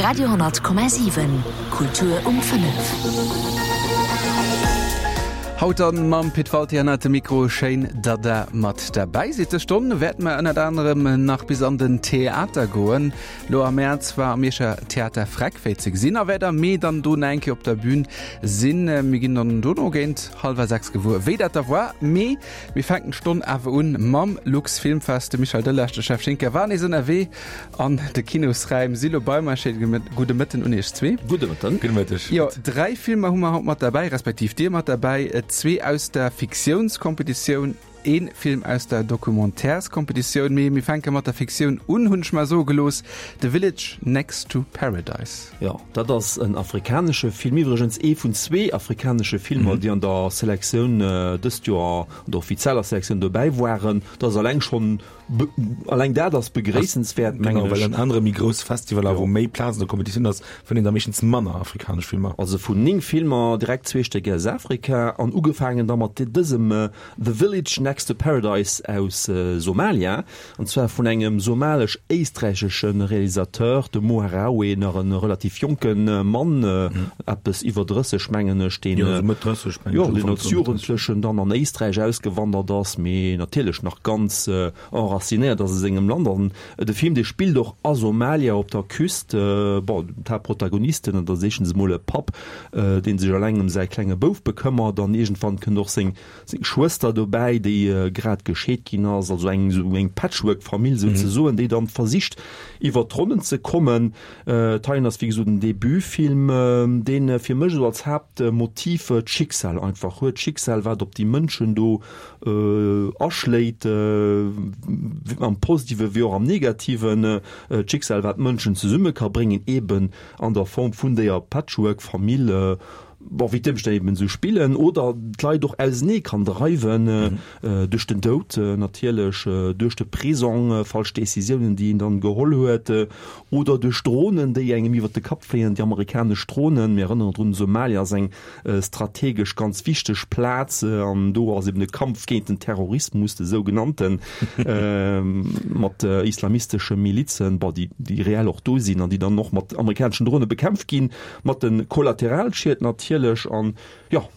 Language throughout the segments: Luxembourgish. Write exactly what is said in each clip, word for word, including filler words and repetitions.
Radio honnert Komma siwen, Kultur um fënnef. Haut dann mam Pit Walté hannert dem Mikro. Schéin, datt der mat derbäi sidd. Dës Stonn wäerte mer ënnert anerem nach bis an den Theater goen. Lo am Mäerz war am Mierscher Theater Freck wéi ze gesinn a wäert am Mee dann do nach eng Kéier op der Bühn sinn. Mir ginn dann dono géint hallwer sechs gewuer, wéi dat da war. Mee mir fänken d'Stonn awer un mam Lux Filmfest. De Michel Delage, de Jeff Schinker war nees ënnerwee an de Kinosräim. Si lo bei mer. Schéine gudde Mëtten un iech zwee. Gudde Mëtten. Gudde Mëtteg. Jo, dräi Filmer hu mer haut mat derbäi, respektiv dir mat derbäi. Zwee aus der Fiktiounskompetitioun, ee Film aus der Documentaires-Kompetitioun. Mee mir fänke mat der Fiktioun un, hunn ech mer soe gelooss, The Village Next to Paradise. Jo, dat ass en afrikanesche Film, iwwregens ee vun zwee afrikanesche Filmer, déi an der Selektioun dëst Joer, an der offizieller Selektioun dobäi waren. Dat ass alleng schonn, alleng dat ass begréissenswäert, mengen Genau, well ech. an anere méi grousse Festivaler, wou méi Plaz an der Kompetitioun ass, fënnt een da meeschtens manner afrikanesch Filmer. Also vun néng Filmer direkt zwee Stéck aus Afrika an ugefaangen da mat dësem The Village Next to Paradise aus Somalia, an zwar vun engem somalesch-éisträichesche Realisateur, dem Mo Harawe, nach e relativ jonke Mann, eppes iwwer drësseg mengen ech, deen, Jo, esou Mëtt drësseg mengen ech, jo, deen Ufank als Mëtt drësseg. Jugendlechen dann an Éisträich ausgewandert ass, mee natierlech nach ganz enracinéiert ass a sengem Land. An de Film, dee spillt och a Somalia op der Küst. Bon, d'Haaptprotagonisten, dat ass éischtens emol e Papp, dee sech eleng ëm säi klenge Bouf bekëmmert, an iergendwann kënnt och seng seng Schwëster dobäi, déi grad gescheet ginn ass, also eng esou eng Patchwork-Famill souzesoen, déi dann versicht iwwert d'Ronnen ze kommen. D'Heien ass wéi gesot en Debutfilm, deen fir mech esou als Haaptmotiv d'Schicksal einfach huet, d'Schicksal wat op déi Mënschen do aschléit, am Positive wéi och am Negativen, d'Schicksal wat d'Mënschen zesumme ka bréngen, eben an der Form vun déier Patchwork-Famill. Bon, wéi d'Ëmstänn eben esou spillen, oder d'Leit och ausenee kann dreiwen, duerch den Doud natierlech, duerch de Prisong, falsch Decisiounen, déi een dann geholl huet, oder duerch Dronen, déi engem iwwert de Kapp fléien, déi amerikanesch Dronen. Mir erënneren drun, Somalia ass eng strategesch ganz wichteg Plaz, an do ass eben de Kampf géint den Terrorismus, de sougenannten, mat islamistesche Milizen, bon, déi, déi reell och do sinn an déi dann och mat amerikaneschen Drone bekämpft ginn, mat de Kollateralschied natierlech. An jo,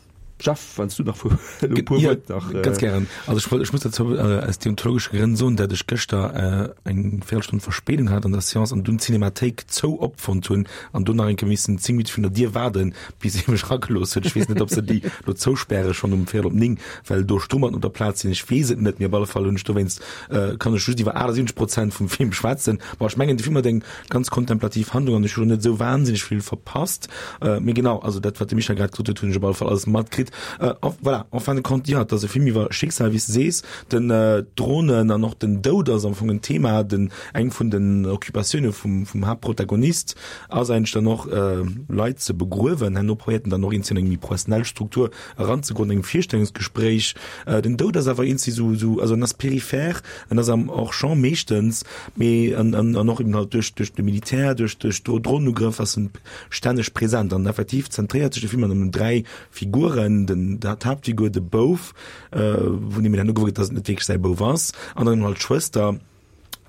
Jeff, wann s du nach vu elo e puer Ja, Wuert nach. ganz gären. Also ech wollt, ech muss dozou aus deontologesche Grënn soen, dat ech gëschter eng Véierelstonn Verspéidung hat an der Seance an dunn d'Cinémathéik zou opfonnt hunn an do nach eng Kéier missen zéng Minutte virun der Dier waarden, bis ee mech eragelooss huet. Ech weess net, ob se déi elo zouspäre schonn um Véierel op néng, well do Strummerten op der Plaz sinn. Ech weess et net, mee op alle Fall hunn ech dowéinst, kann ech just iwwer achtundsiwwenzeg Prozent vum Film schwätzen. Bon, ech mengen, de Film huet eng ganz kontemplativ Handlung an ech hu lo net esou wahnsinneg vill verpasst. Mee genau, also dat, wat de Michel grad gesot huet, hunn ech op alle Fall alles matkritt. Voilà, en fin de compte, jo, et ass e Film iwwer Schicksal, wéi s de sees. Den d'Dronen an och den Doud ass am Fong en Thema. Den, eng vun den Occupatioune vum, vum Haaptprotagonist ass eigentlech dann och, Leit ze begruewen. Herno probéiert en dann och eenzel an eng méi professionell Struktur eranzegoen, engem Virstellungsgespréich. Den Doud ass awer eenzel esou, esou, also en ass peripher, en ass am Hors-champ meeschtens, mee an, an, an och eben halt duerch, duerch de Militär, duerch, duerch Dronenugrëff ass en stänneg present. An effektiv zentréiert sech de Film an ëm dräi Figuren, den, d'Haaptfigur, de Bouf, vun deem een herno gewuer gëtt, datt et net wierklech säi Bouf ass, an dann eben halt d'Schwëster.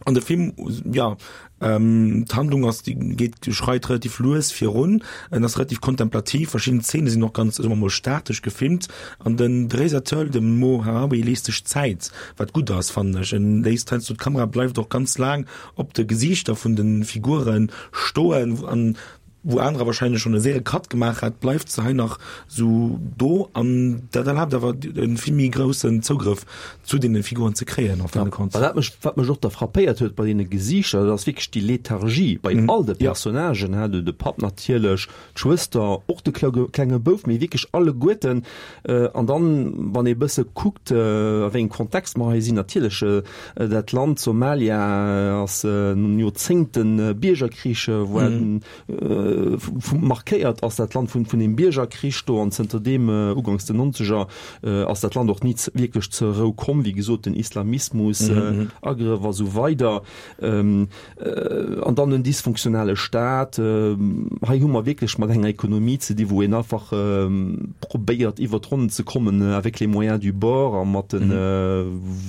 An de Film, jo, d'Handlung ass, déi geet, schreit relativ lues virun, en ass relativ kontemplativ, verschidden Zeene sinn och ganz, soe mer mol, statesch gefilmt. An den Realisateur, de Mo Harawi, léisst sech Zäit, wat gutt ass, fannen ech. En léisst heiansdo, d'Kamera bleift och ganz laang op de Gesiichter vun de Figure stoen, an wou anerer wahrscheinlech schon e séiere Cut gemaach hätt, bleift se hei nach sou do an dat erlaabt awer e vill méi groussen Zougrëff zu deene Figuren ze kréien en fin de compte. Wat mech, wat mech och da frappéiert huet bei deene Gesiichter, dat ass wierklech déi Lethargie bei all de Personnagen, hein, de Papp natierlech, d'Schwëster, och de klenge Bouf, mee wierklech alleguerten. An dann, wann ee bësse kuckt, a wéi engem Kontext mer hei sinn, natierlech dat Land Somalia ass no Joerzéngte Biergerkrich, wou markéiert ass dat Land vun vun dem Biergerkrich do an zënter deem uganks den Nonzeger ass dat Land och ni wierklech zur Rou komm, wéi gesot den Islamismus, Agrëff a sou weider an dann en dysfunktionale Staat. Hei hu mer wierklech mat enger Ekonomie ze di wou een einfach probéiert iwwer d'Ronnen ze kommen avec les moyens du bord a mat den,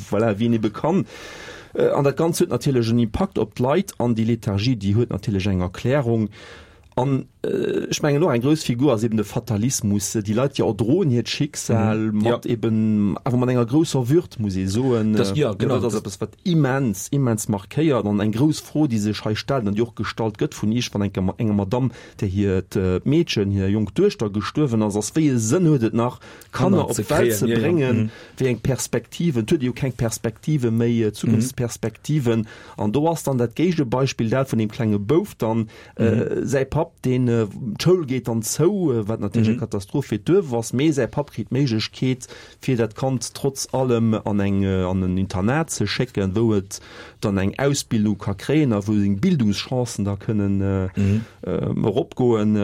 voilà, wéi een ebe kann. An dat Ganzt huet natierlech en Impakt op d'Leit an déi Lethargie, déi huet natierlech eng Erklärung. An ech mengen och eng grouss Figur ass eben de Fatalismus, déi Leit, déi erdroen hiert Schicksal mat eben awer mat enger grousser Würd, muss ee soen. Das, ja, genau. Dat ass eppes, wat immens, immens markéiert an eng grouss Fro, déi sech hei stellt an déi och gestallt gëtt vun iergendwann enker enger Madamm, där hiert Meedchen, hir jonk Duechter gestuerwen ass, ass, Wéi e Sënn huet et nach, Kanner op d'Welt ze bréngen? Wéi eng Perspektiven? Et huet ee jo keng Perspektive méi, Zukunftsperspektiven. An do ass dann dat Géigebeispill dat vun deem klenge Bouf dann, säi Papp, deen, d'Schoul geet dann zou, wat natierlech eng Katastroph fir d'Duerf ass, mee säi Papp kritt d'Méiglechkeet, fir dat Kand trotz allem an eng, an en Internat ze schécken, wou et dann eng Ausbildung ka kréien a wou seng Bildungschancen da kënnen eropgoen.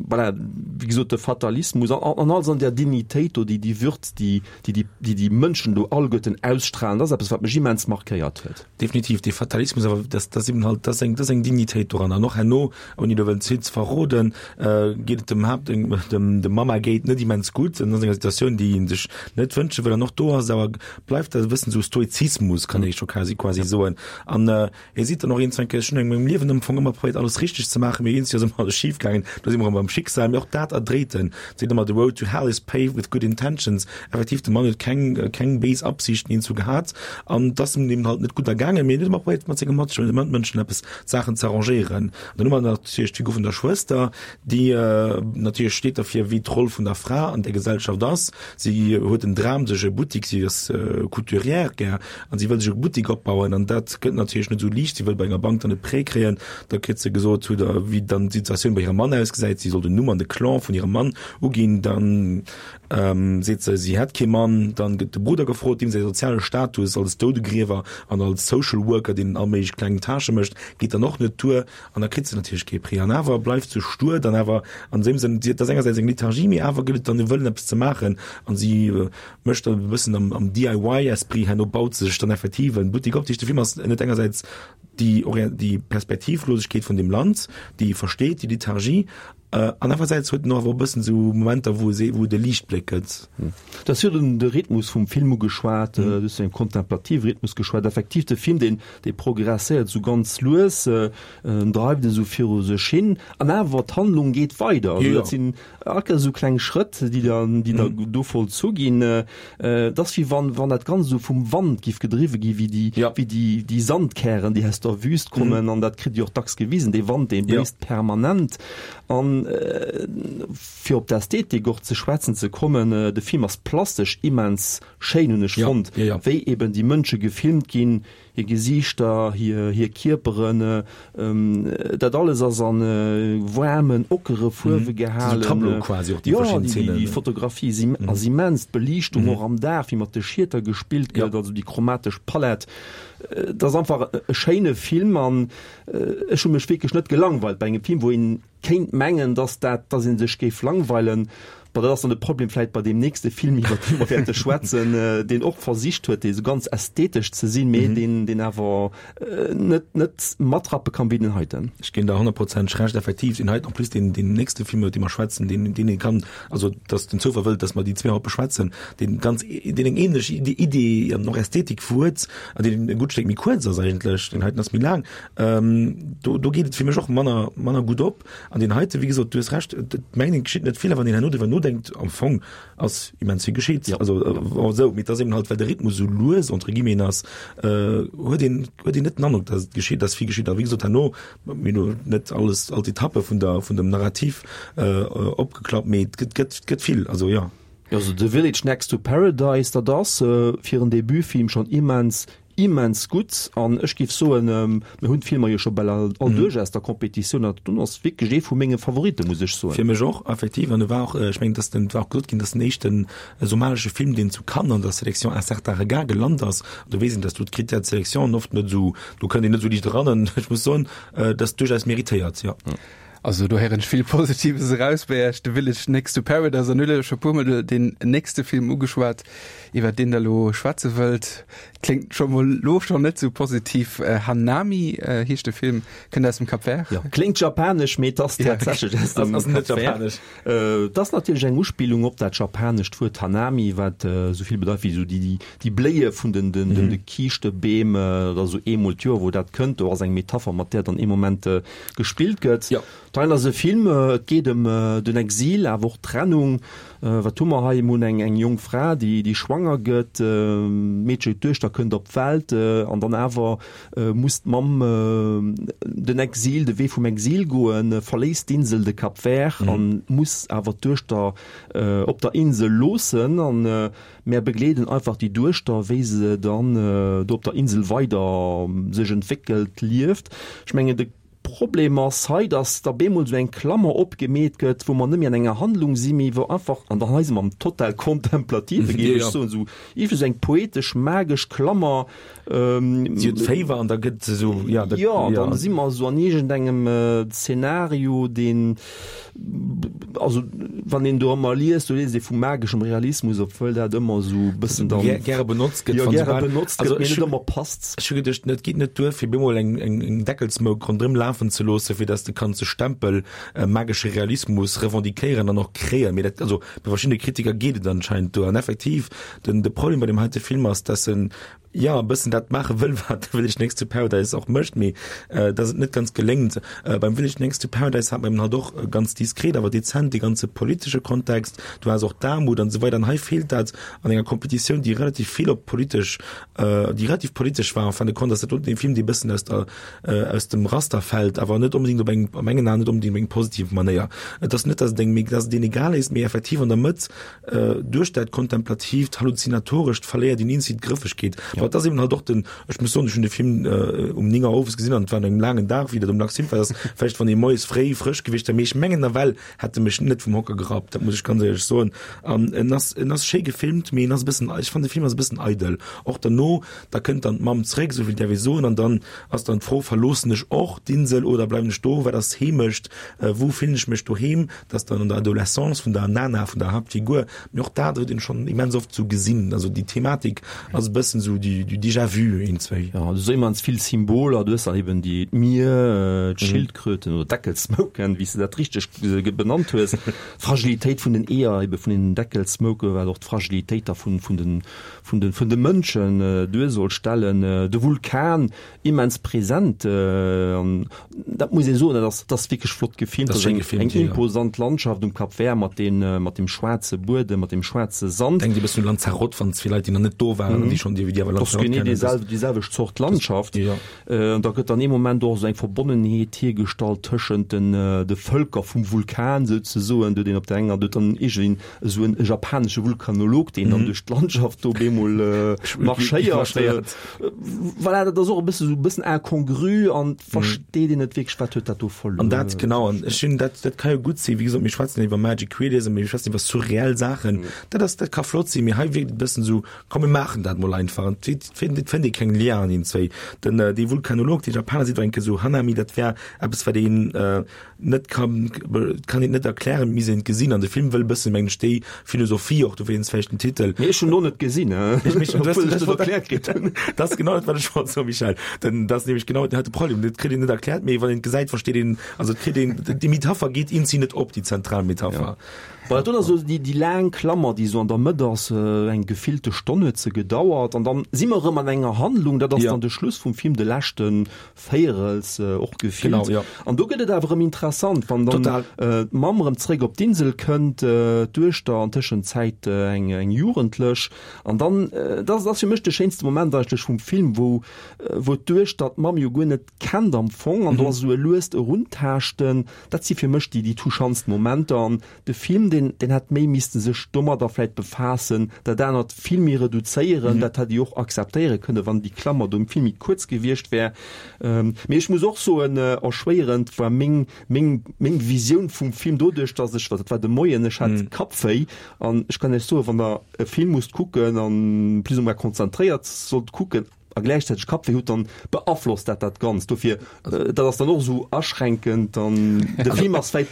Voilà, wéi gesot, de Fatalismus an, an alles an där Dignitéit do, déi, déi Würd, déi, déi, déi déi Mënschen do alleguerten ausstrahlen, dat ass eppes, wat mech immens markéiert huet. Definitiv, dee Fatalismus, awer dat, dat ass eben halt, dat ass eng, dat ass eng Dignitéit doran. An och herno, ouni do wëllen ze vill ze verroden, geet et dem Haapt, dem, dem Mamma Gate net immens gutt. En ass an enger Situatioun, déi en sech net wënsche wëll. An och do ass et awer, bleift dat e bëssen esou Stoizismus, kann ee scho quasi, quasi soen. An hie seet dann och iergendwann, ech hunn a mengem Liewen am Fong ëmmer probéiert, alles richteg ze maachen, mee iergendwéi ass ëmmer alles schif gaangen. Do si mer erëm beim Schicksal. Mee och dat erdréit en, seet ëmmer, The road to hell is paved with good intentions. Effektiv, de Mann huet keng, keng béis Absichten iergendwou gehat. An et ass em eben halt net gutt ergaangen, mee en huet ëmmer probéiert, mat senge Matmënschen eppes, Saachen ze arrangéieren. An dann hu mer natierlech d'Figur vun der Schwëster, déi natierlech steet derfir, wéi d'Roll vun der Fra an der Gesellschaft ass. Si huet den Dram, sech e Buttik, si ass Couturière gär, an si wëll sech e Buttik opbauen. An dat gëtt natierlech net esou liicht. Si wëll bei enger Bank dann e Prêt kréien. Da kritt se gesot, hutt Der, wéi dann d'Situatioun bei hirem Mann ausgesäit. Si soll den Numm an de Clan vun hirem Mann uginn. Dann seet se, si hätt kee Mann. Dann gëtt de Brudder gefrot, deem säi soziale Status als Doudegriewer an als Social Worker, deen all méiglech kleng Tâchë mécht, geet dann och net duer. An da kritt se natierlech kee Prêt. An awer bleift se stur, dann awer an deem Sënn, et ass engersäits eng Lethargie, mee awer gëtt et dann e Wëllen, eppes ze maachen. An si mécht dann e bëssen am, am D I Y-Esprit, herno baut se sech dann effektiv en Buttik op. Dat heescht, de Film ass net engersäits déi, déi Perspektivlosegkeet vun deem Land, déi ee versteet, déi Lethargie, an anerersäits huet en och awer e bëssen esou Momenter, wou e, wou et e Liichtbléck gëtt. Du has virun de Rhythmus vum Film ugeschwat, du hues vun engem kontemplative Rhythmus geschwat. Effektiv, de Film, deen, dee progresséiert esou ganz lues, en dreift esou viru sech hin, an awer d'Handlung geet weider. Also dat sinn all Kéiers esou kleng Schrëtt, déi da, déi da do vollzu ginn. Et ass wéi wann, wann dat Ganzt esou vum Wand giff gedriwwe gi wéi déi, wéi déi, déi Sandkären, déi aus der Wüst kommen, an dat kritt Dir och dacks gewisen, dee Wand, dee bléist permanent. An fir op d'Ästhetik och ze schwätzen ze kommen, de Film ass plastesch immens schéin, hunn ech fonnt, wéi eben déi Mënsche gefilmt ginn, hir Gesiichter, hir hir Kierperen, dat alles ass a waarmen, ockere Fuerwe gehalen. Jo, déi Fotografie ass immens, d'Beliichtung och am Dag, wéi mat de Schieter gespillt gëtt, also déi chromatesch Palett, et ass einfach e schéine Film an ech hu mech wierklech net gelangweilt bei engem Film, wou een kéint mengen, dass dat, dass ee sech géif langweilen. Bon, dat ass dann de Problem vläit bei deem nächste Film, iwwer dee mer wäerte schwätzen, deen och versicht huet, dee sou ganz ästhetesch ze sinn, mee deen, deen awer net, net matrappe kann wéi deen heiten. Ech ginn der honnertprozenteg Recht, effektiv, deen heiten, en plus deen, deen nächste Film, iwwer dee mer schwätzen, deen, deen ee kann, also dass den Zoufall wëllt, dass mer déi zwee haut beschwätzen, deen ganz, deen eng ähnlech Idee an och Ästhetik fuert an deen e gutt Stéck méi kuerz ass eigentlech, deen heiten ass méi laang, do, do geet et fir mech och manner, manner gutt op. An deen heiten, wéi gesot, du hues Recht, et mengt een, et geschitt net vill, a wann een herno driwwer nodenkt, am Fong ass immens vill geschitt. Also esou, mee et ass eben halt, well de Rhythmus esou lues, entre guillemets, ass, huet een, huet een net den Androck, dass et geschitt, dass vill geschitt. A wéi gesot, herno, mir hunn elo net alles, all d'Etappe vun der, vun dem Narrativ opgeklappt, mee et gëtt, gëtt, gëtt vill, also jo. Also The Village Next to Paradise, dat ass fir en Debutfilm schonn immens, immens gutt an ech géif soen, mir hunn d'Filmer jo scho bal all duerch aus der Competitioun, an dat ass wierklech ee vu menge Favoritten, muss ech soen. Fir mech och, effektiv. An e war och, ech mengen, dass den, et war och gesot ginn, dass den éischten somalesche Film, deen zu Cannes an der Sélection Un certain regard gelant ass. An do weess een, dass do d'Critères de sélection oft net esou, do kënnt een net esou liicht eran. An ech muss soen, dat ass duerchaus méritéiert, jo. Also do héieren ech vill Positives eraus bei Iech, The Village Next to Paradise an hutt scho puermol den nächste Film ugeschwat, iwwer deen der lo schwätze wëllt. Kléngt scho mol lo schonn net sou positiv. Hanami heescht de Film, kënnt aus dem Cap Vert. Jo, kléngt japanesch, mee et ass tatsächlech aus dem Cap Vert. Et ass natierlech eng Uspillung op dat japanescht Wuert Hanami, wat esou vill bedeit wéi esou déi Bléie vun de Kiischtebeem. Et ass esou eemol d'Joer, wou dat kënnt. Do ass eng Metapher, mat där dann ee Moment gespillt gëtt. D'Heil ass e Film, et geet ëm den Exil, awer och d'Trennung. Wat hu mer hei? Mir hunn eng eng jonk Fra, déi déi schwanger gëtt, d'Meedche, d'Duechter kënnt op d'Welt an dann awer muss d'Mamm den Exil, de Wee vum Exil goen, verléisst d'Insel, de Cap Vert, a muss awer d'Duechter op der Insel loossen. An mär begleeden einfach déi Duechter, wéi se dann do op der Insel weider sech entwéckelt, lieft. Ech mengen, de Problem ass hei, dass da bemol esou eng Klammer opgemeet gëtt, wou mer net méi an enger Handlung sinn, mee wou einfach, an dann hei si mer am total Kontemplative, géif ech soen, esou iergendwéi esou eng poetesch, magesch Klammer. Si huet Féiwer an da gëtt se esou, ja, dat, jo, dann si mer esou an iergendengem Zeenario, deen, also wann een do ëmmer liest, do liest ee vu mageschem Realismus, obwuel dat ëmmer esou e bëssen dann gäre benotzt gëtt, jo, gäre benotzt gëtt, mee net ëmmer passt. Ech hu geduecht, et geet net duer, fir bemol eng, eng, eng Deckelsmouk ronderëm lafen ze loossen, fir dass de kanns de Stempel magesche Realismus revendiquéieren an och kréien. Mee dat, also bei verschiddene Kritiker geet et anscheinend duer. An effektiv, den, de Problem bei deem heite Film ass, dass en, jo, e bëssen dat maache wëll, wat The Village Next to Paradise och mécht, mee dass et net ganz geléngt. Beim Village Next to Paradise hat mer eben halt och ganz diskret, awer dezent dee ganze politesche Kontext, du has och d'Aarmut an esou weider. An hei feelt dat an enger Kompetitioun, déi relativ vill op politesch, déi relativ politesch war en fin de compte, ass dat doten ee Film, dee e bëssen aus der, aus dem Raster fält, awer net onbedéngt op eng, a mengen Aen net onbedéngt op eng positiv Manéier. Et ass net, dass et engem, dass et een egal is, mee effektiv an der Mëtt, duerch dat Kontemplatiivt, Halluzinatorescht verléiert een eenzi d'Grëffegkeet. Ja. Et ass eben halt och den, ech muss soen, ech hunn de Film um néng Auer owes gesinn an et war no engem laangen Dag, wéi dat um Lac Simfer ass, vläicht wann ee moies fréi frësch gewiescht wär, mee ech mengen nawell hätt e mech net vum Hocker gerappt, dat muss ech ganz éierlech soen. An en ass, en ass schéi gefilmt, mee en ass e bëssen, ech fannen de Film ass e bëssen eidel. Och derno, da kënnt dann d'Mamm zréck, esou vill däerf ee soen, an dann ass dann d'Fro, verloossen ech och d'Insel oder bleiwen ech do, wat ass Heemecht, wou fillen ech mech doheem? Dat ass dann an der Adolescence vun der Nana, vun der Haaptfigur, mee och dat huet een schonn immens oft sou gesinn. Also déi Thematik ass e bëssen sou du du déjà vu eenzwéi. Jo, du hues immens vill Symboler, du hues dann eben déi d'Mier, d'Schildkröten oder Deckelsmouken, wéi s de dat richteg benannt hues, d'Fragilitéit vun den Eeër, ebe vun den Deckelsmouken, wat och d'Fragilitéit da vun vun den vun de vun de Mënschen duer soll stellen, de Vulkan immens present an dat muss ee soen, dat ass dat ass wierklech flott gefilmt, dat ass eng eng imposant Landschaft um Cap Vert mat den mat dem schwaarze Buedem, mat dem schwaarze Sand. Denkt e bëssen u Lanzarote, wann fir Leit déi nach net do waren an déi schonn déi awer Lanzarote kennen. Dat ass genee déi selwecht Zort Landschaft. An da gëtt an ee Moment och esou eng Verbonnenheet hiergestallt tëschent den de Vëlker vum Vulkan souzesoen, do deen op der enger, do huet dann iergendeen esou en japanesche Vulkanolog, deen dann duerch d'Landschaft do bemol marschéiert. Voilà, dat ass och e bësse sou e bëssen incongru an versteet een net wierklech, wat huet dat do verluer. An dat, genau, an ech hunn dat, dat ka jo gutt sinn, wéi gesot, mir schwätzen iwwer Magic Realism, mir schwätzen iwwer surreell Saachen, dat ass, dat ka flott sinn, mee hei wierkt et e bëssen esou, komm mir maachen dat mol einfach an et fënnt, et fënnt ee keng Lienen iergendzwéi. Den, dee Vulkanolog, dee Japaner seet och eng Kéier esou, Hanami, dat wär eppes, wat een net kann, kann een net erklären, et misst een et gesinn an de Film wëll e bëssen, mengen ech, déi Philosophie och, dofir vläicht den Titel. Mee ech hunn en och net gesinn, obwuel ech dat erkläert kritt hunn. Dat ass genau dat, wat ech wollt soen, Michel. Denn dat ass nämlech genau den heite Problem, dat kritt een net erkläert, mee wann een et gesäit, versteet een, also et kritt een, déi Metapher geet eenzi net op, déi zentral Metapher. Voilà, dat ass esou déi, déi laang Klammer, déi esou an der Mëtt ass, eng gefillte Stonn huet se gedauert an dann si mer erëm an enger Handlung, dat ass dann de Schluss vum Film, de leschte Véierels och gefillt. Genau, ja. An do gëtt et awer erëm interessant, wann dann Total. d'Mamm erëm zréck op d'Insel kënnt, d'Duechter, an Tëschenzäit eng, eng Jugendlech, an dann, dat ass fir mech de schéinste Moment eigentlech vum Film, wou, wou d'Duechter d'Mamm jo guer net kennt am Fong, an do ass esou e luest Eruntaaschten, dat si fir mech déi, déi touchantst Momenter. An de Film, deen, deen hätt méi misste sech domadder vläit befaassen, dat anert vill méi reduzéieren, dat hätt ee och akzeptéiere kënne, wann déi Klammer do vill méi kuerz gewiescht wär. Mee ech muss och soen, erschwéierend war meng, meng, meng Visioun vum Film doduerch, datt ech, dat war de Moien, ech hat Kappwéi an ech kann Iech soen, wann Der e Film musst kucken an plus ou moins konzentréiert sollt kucken, a gläichzäiteg Kappwéi hutt, dann beaflosst dat dat Ganzt. Dofir, dat ass dann och esou aschränkend an de Film ass vläit,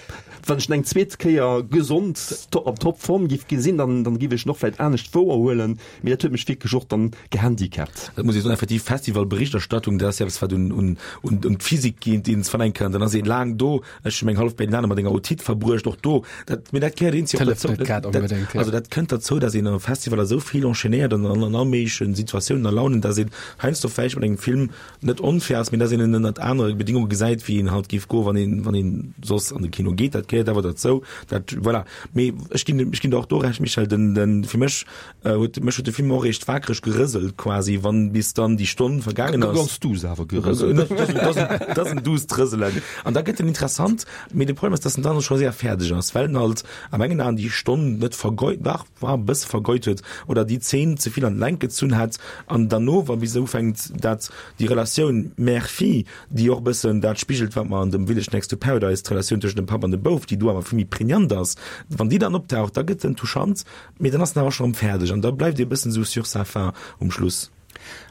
wann ech en eng zweet Kéier gesond an Topform giff gesinn, dann dann giff ech en och vläit anescht wouerhuelen, mee dat huet mech wierklech och dann gehandicapt. Dat muss ee soen, effektiv, Festivalberichterstattung, dat ass jo eppes wat un un un d'Physik geet, déi een verlaange kann. Dann ass ee laang do, ech hu meng hallef Berlinale mat enger Otite verbruecht, och do, dat, mee dat gehéiert eenzeg och D'hëlleft dozou. net grad Dat, onbedéngt, jo. also dat kënnt derzou, datt een a Festivaler esou vill enchaînéiert an an all méiglechen Situatiounen a Launen, datt een heiansdo vläicht mat engem Film net onfair ass, mee datt een en ënnert anere Bedingunge gesäit, wéi een halt géif goen, wann een, wann een soss an de Kino geet. Dat gehéiert awer derzou. Dat, voilà. Mee ech ginn, ech ginn der och do Recht, Michèle, den, den, fir mech huet, mech huet de Film och eréischt wakereg gerëselt quasi, wann bis dann déi Stonn vergaangen ass. Ganz duuss awer gerëselt. Dat ass en duusst Rëselen. An da gëtt en interessant, mee de Problem ass, datt en dann scho séier fäerdeg ass, well en halt a mengen Aen déi Stonn net vergeut, dach, war e bësse vergeut huet oder déi Zeen ze vill an d'Längt gezunn hätt an derno, wa bis se ufänkt, dat déi Relatioun Mère-Fille, déi och e bëssen dat spigelt, wat mer an dem Village Next to Paradise, d'Relatioun tëschent dem Papp an dem Bouf, déi do awer vill méi prégnant ass, wann déi dann optaucht, da gëtt en touchant, mee dann ass en awer scho erëm fäerdeg an da bleift ee bëssen esou sur sa faim um Schluss.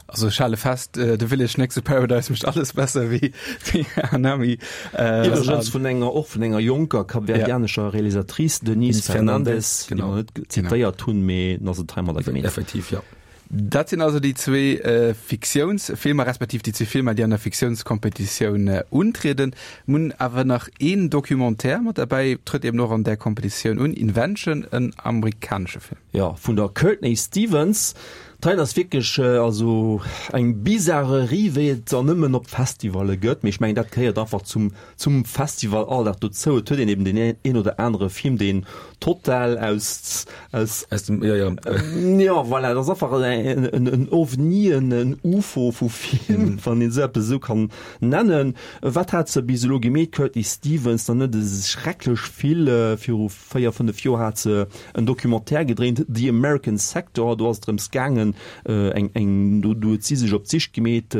Also ech hale fest, The Village Next to Paradise mécht alles besser wéi Hanami. Iwwregens vun enger, och vun enger jonker kapverdianescher Realisatrice, Denise Fernandes, déi mer net zitéiert hunn, mee dann ass et heimadder gemeet. Effektiv, jo. Dat sinn also déi zwee Fiktiounsfilmer, respektiv déi zwee Filmer, déi an der Fiktiounskompetitioun untrieden. Mir hunn awer nach een Documentaire mat derbäi, trëtt eben och an där Kompetitioun un, Invention, en amerikanesche Film. Jo, vun der Courtney Stevens. D'Heien ass wierklech also eng Bizarrerie, wéi et der nëmmen op Festivalle gëtt. Mee ech mengen, dat gehéiert einfach zum, zum Festivalalldag dozou. Et huet een eben deen een oder anere Film, deen total aus, aus. Aus dem, jo, jo. Jo, voilà, dat ass einfach en, en, en Ovni, en, en Ufo vu Film, wann een esou eppes esou kann nennen. Wat hat se bis elo gemeet, d'Courtney Stevens? Dann net schrecklech vill. Viru véier, fënnef Joer hat se en Documentaire gedréint, The American Sector, do ass et drëms gaangen, eng, eng, do, do huet si sech op d'Sich gemeet,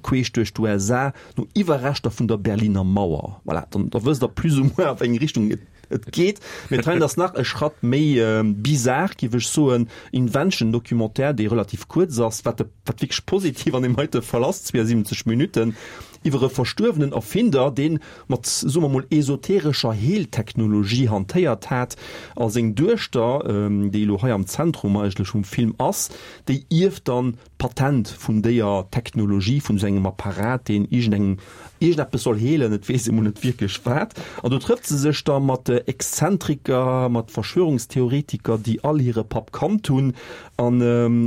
queesch duerch d'U S A, no Iwwerreschter vun der Berliner Mauer. Voilà, dann, da wësst Der plus ou moins, a wéi eng Richtung et, et geet. Mee d'Heint ass nach e Schratt méi bizar, géif ech soen. Invention, Documentaire, dee relativ kuerz ass, wat de, wat wierklech positiv an deem heite Fall ass, zweeënsiwwenzeg Minutten, iwwer e verstuerwenen Erfinder, dee mat, soe mer mol, esoterescher Heeltechnologie hantéiert hat, a seng Duechter, déi elo hei am Zentrum eigentlech vum Film ass, déi ierft dann d'Patent vun déier Technologie, vun esou engem Apparat, deen iergendengem iergendeppes soll heelen, et weess ee mol net wierklech wat. An do trëfft se sech da mat Exzentriker, mat Verschwörungstheoretiker, déi all hire Papp kannt hunn. An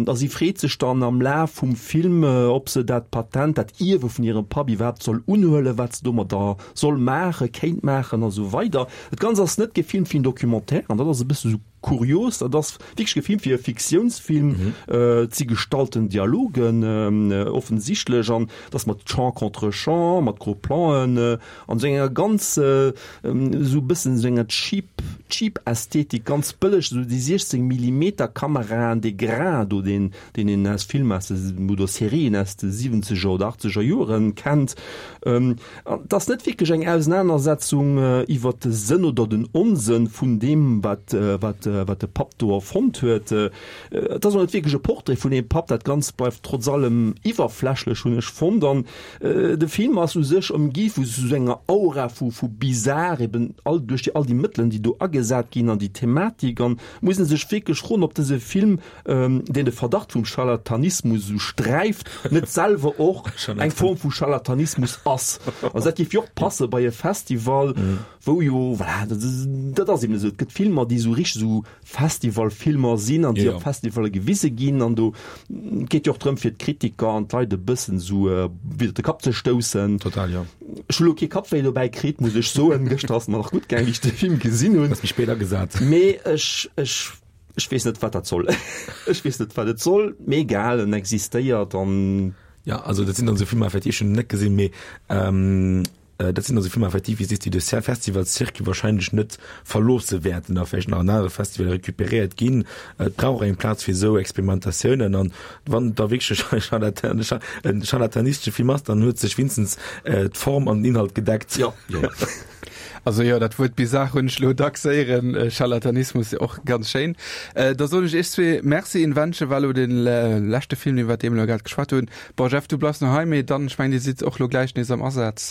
a si freet sech dann am Laf vum Film, ob se dat Patent, dat Ierwe vun hirem Papp iwwerhaapt soll unhuelen, wat se domadder soll maachen, kéint maachen a sou weider. Dat Ganzt ass net gefilmt wéi en Documentaire an dat ass e bësse sou kurios. Dat ass wierklech gefilmt wéi e Fiktiounsfilm. Et si gestalten Dialogen offensichtlech an et ass mat Champ contre Champ, mat Gros Plan'en an esou enger ganz esou e bëssen esou enger cheap, cheap Ästhetik, ganz bëlleg, esou déi siechzéng Millimeter Kameraen, dee Grain do, deen, deen een aus Filmer aus de, oder Serien aus de siwwenzeger oder achtzeger Joren kennt. An et ass net wierklech eng Ausenanersetzung iwwer de Sënn oder den Onsënn vun deem, wat, wat, wat de Papp do erfonnt huet. Et ass och net wierklech e Portrait vun deem Papp. Dat Ganzt bleift trotz allem iwwerflächlech, hunn ech fonnt. An de Film ass u sech ëmgi vu sou enger Aura vu, vu bizar, eben all, duerch déi, all déi Mëttelen, déi do agesat ginn an déi Thematik. An muss ee sech wierklech froen, ob dëse Film, deen de Verdacht vum Scharlatanismus esou sträift, net selwer och eng Form vu Scharlatanismus ass. Also dat géif jo och passe bei e Festival, wou jo, voilà, dat ass eben esou, et gëtt Filmer, déi esou richteg esou Festivalfilmer sinn an déi op Festivalle gewise ginn. An do geet jo och drëm, fir d'Kritiker an d'Leit e bëssen esou widder de Kapp ze stoussen. Total, jo. Ech hu lo kee Kappwéi dobäi kritt, muss ech soen. Gëschter ass et mer nach gutt gaang, wéi ech de Film gesinn hunn. Hues mech spéit agesat. Mee ech, ech, ech weess net, wat dat soll. Ech weess net, wat et soll, mee egal, en existéiert an. Ja, also dat sinn dann esou Filmer, effektiv, ech hunn en net gesinn, mee dat sinn dann esou Filmer, effektiv, wéi s sees, déi de Festivalscircuit wahrscheinlech net verloosse wäerten a vläicht nach an anere Festivaler recuperéiert ginn. Et brauch och eng Plaz fir esou Experimentatiounen an wann et da wierklech e scharlatanistesche Film ass, dann huet sech wéinstens d'Form an den Inhalt gedeckt. Jo, jo. Also jo, dat Wuert bizarre hunn ech lo dacks héieren, Scharlatanismus och ganz schéin. Da soen ech iech zwee Merci. Invention war lo de leschte Film, iwwert dee mer lo grad geschwat hunn. Bon Jeff, du bleifs nach hei, mee dann, ech mengen, dir sidd och lo gläich nees am Asaz,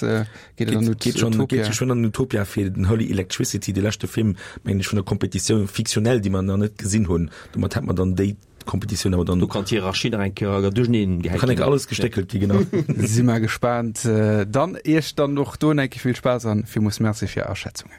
geet et an Geet schonn, geet geschwënn an Utopia fir den Holy Electricity, de leschte Film, mengen ech, vun der Compétitioun fictionnelle, déi mer nach net gesinn hunn. Domat hätt mer dann déi Competitioun awer dann. Do kann d'Hierarchie nach eng Kéier duercheneen gehäit ginn. Kann eng Kéier alles gestéckelt gi, genau. Si mer gespaant. Dann Iech dann och do eng Kéier vill Spaass an villmools Merci fir Är Aschätzungen.